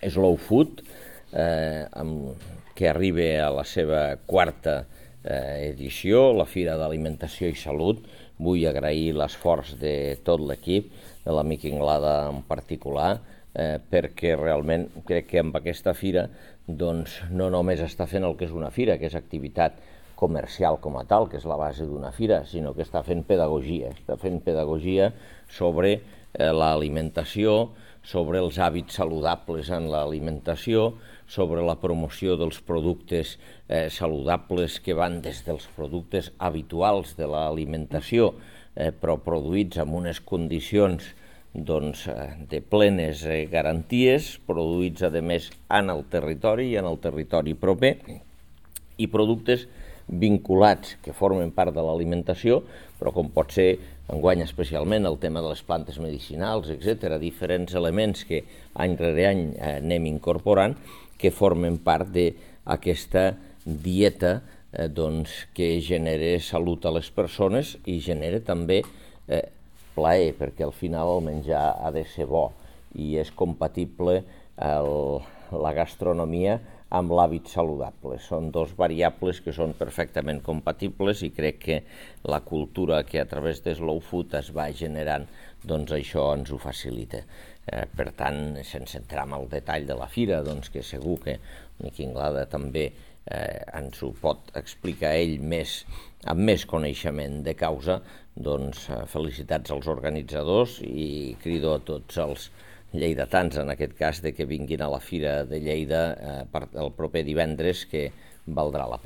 Slow Food, que arriba a la seva quarta edició, la Fira d'Alimentació i Salut. Vull agrair l'esforç de tot l'equip, de l'amic Inglada en particular, perquè realment crec que amb aquesta fira no només està fent el que és una fira, que és activitat comercial com a tal, que és la base d'una fira, sinó que està fent pedagogia sobre l'alimentació, sobre els hàbits saludables en l'alimentació, sobre la promoció dels productes saludables que van des dels productes habituals de l'alimentació, però produïts en unes condicions de plenes garanties, produïts a més en el territori i en el territori proper, i productes vinculats que formen part de l'alimentació, però com pot ser enguany especialment el tema de les plantes medicinals, etc., diferents elements que any rere any anem incorporant, que formen part d'aquesta dieta que genera salut a les persones i genera també plaer, perquè al final el menjar ha de ser bo i és compatible la gastronomia amb l'hàbit saludable. Són dos variables que són perfectament compatibles i crec que la cultura que a través de Slow Food es va generant, doncs això ens ho facilita. Per tant, sense entrar en el detall de la fira, que segur que Miqui Inglada també ens ho pot explicar ell amb més coneixement de causa, doncs felicitats als organitzadors i crido a tots els lleidatans, en aquest cas, que vinguin a la Fira de Lleida el proper divendres, que valdrà la pena.